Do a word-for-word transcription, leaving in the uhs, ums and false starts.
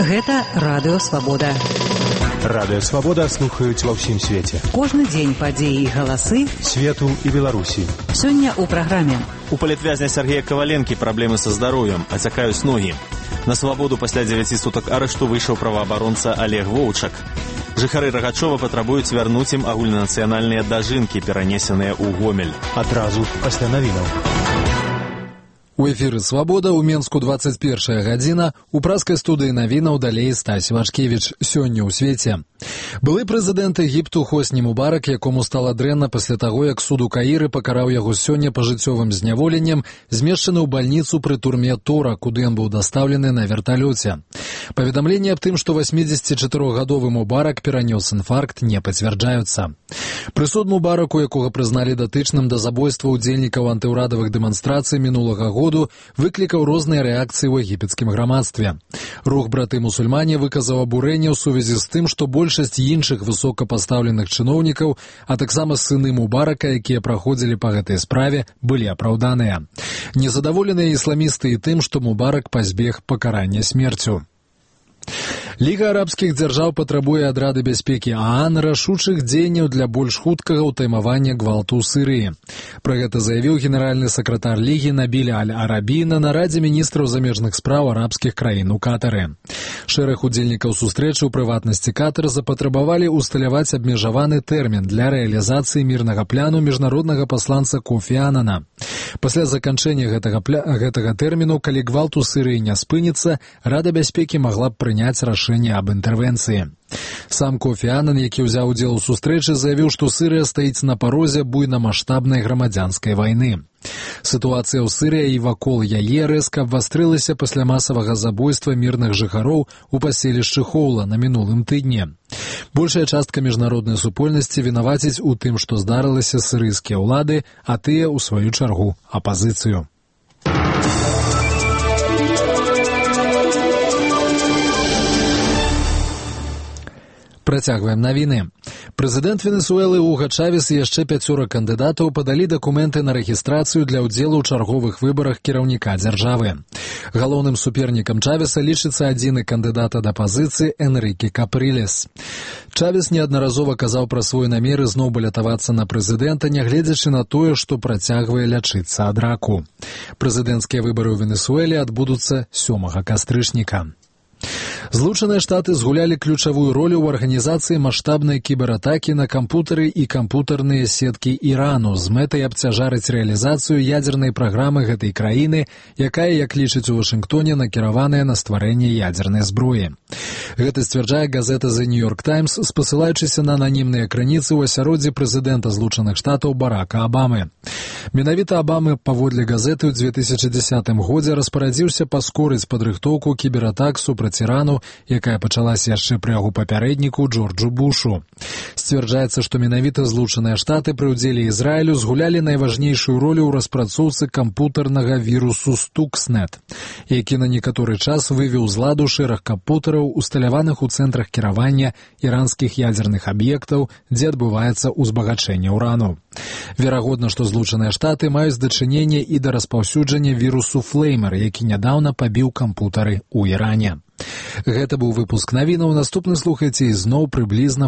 Гэта Радыё Свабода. Радыё Свабода слухаюць ва ўсім свеце. Кожны дзень падзеі і галасы свету і Беларусі. Сёння ў праграме. У палітвязня Сергея Коваленкі праблемы са здароўем, ацякаюць ногі. На свабоду пасля дзевяці сутак арышту выйшаў праваабаронца Олег Воўчак. Жыхары Рагачова патрабуюць вярнуць ім агульнанацыянальныя дажынкі, перанесеныя ў Гомель. Адразу пасля навінаў. У эфіры «Свабода» ў Менску двадцать першая гадзіна, у праскай студыі навінаў далей Стась Вашкевіч. Сёння ў свеце. Былы прэзідэнт Егіпту Хосні Мубарак, якому стала дрэнна пасля таго, як суд у Каіры пакараў яго сёння пажыццёвым зняволеннем, змешчаны ў бальніцу пры турме Тора, куды ён быў дастаўлены на верталёце. Паведамленні аб тым, што васьмідзесяцічатырохгадовы Мубарак перанёс інфаркт, не пацвярджаюцца. Прысуд Мубараку, якога прызналі датычным да забойства ўдзельнікаў антыўрадавых дэманстрацый мінулага года, выклікаў розныя рэакцыі ў егіпецкім грамадстве. Рух браты-мусульмане выказаў абурэнне ў сувязі з тым, што большасць іншых высокапастаўленых чыноўнікаў, а таксама сыны Мубарака, якія праходзілі па гэтай справе, былі апраўданыя. Незадаволеныя ісламісты і тым, што Мубарак пазбег пакарання смерцю. Ліга арабскіх дзяржаў патрабуе ад Рады бяспекі ААН рашучых дзеянняў для больш хуткага ўтаймавання гвалту ў Сырыі. Пра гэта заявіў генеральны сакратар Лігі Набіль Аль-Арабі на нарадзе міністраў замежных спраў арабскіх краін у Катары. Шэраг удзельнікаў сустрэчы, у прыватнасці Катар, запатрабавалі ўсталяваць абмежаваны тэрмін для рэалізацыі мірнага пляну міжнароднага пасланца Кофі Анана. Пасля заканчэння гэтага, пля... гэтага тэрміну, калі гвалт у Сырыі не спыніцца, Рада бяспекі магла б прыняць рашэнне аб інтэрвенцыі. Сам Кофі Анан, які ўзяў удзел у сустрэчы, заявіў, што Сырыя стаіць на парозе буйнамаштабнай грамадзянскай вайны. Сітуацыя ў Сырыі і вакол яе рэзка абвастрылася пасля масавага забойства мірных жыхароў у паселішчы Хоула на мінулым тыдні. Большая частка міжнароднай супольнасці вінаваціць у тым, што здарылася сырыйскія ўлады, а тыя, у сваю чаргу, апазіцыю. Працягваем навіны. Прэзідэнт Венесуэлы Уга Чавес і яшчэ пяцёра кандыдатаў падалі дакументы на рэгістрацыю для ўдзелу ў чарговых выбарах кіраўніка дзяржавы. Галоўным супернікам Чавеса лічыцца адзіны кандыдат ад апазіцыі Энрыке Капрылес. Чавес неаднаразова казаў пра свой намер зноў балятавацца на прэзідэнта, нягледзячы на тое, што працягвае лячыцца ад раку. Прэзідэнцкія выбары ў Венесуэле адбудуцца сёмага кастрычніка. Злучаныя Штаты згулялі ключавую ролю ў арганізацыі маштабнай кібератакі на кампутары і кампутарныя сеткі Ірану з мэтай абцяжарыць рэалізацыю ядзернай праграмы гэтай краіны, якая, як лічыць у Вашынгтоне, накіраваная на стварэнне ядзернай зброі. Гэта сцвярджае газета The New York Times, спасылаючыся на ананімныя крыніцы ў асяроддзі прэзідэнта Злучаных Штатаў Барака Абамы. Менавіта Абамы, паводле газеты, ў дзве тысячы дзесятым годзе распарадзіўся паскорыць падрыхтоўку кібератак супраць Ірану, якая пачалася яшчэ пры яго папярэдніку Джорджу Бушу. Сцвярджаецца, што менавіта Злучаныя Штаты пры ўдзеле Ізраілю згулялі найважнейшую ролю ў распрацоўцы кампутарнага вірусу Stuxnet, які на некаторы час вывеў з ладу шэраг кампутараў, усталяваных у цэнтрах кіравання іранскіх ядзерных аб'ектаў, дзе адбываецца ўзбагачэнне ўрану. Верагодна, што Злучаныя Штаты маюць дачыненне і да распаўсюджання вірусу Флеймер, які нядаўна пабіў кампутары ў Іране. Гэта быў выпуск навінаў. Наступны слухайце ізноў прыблізна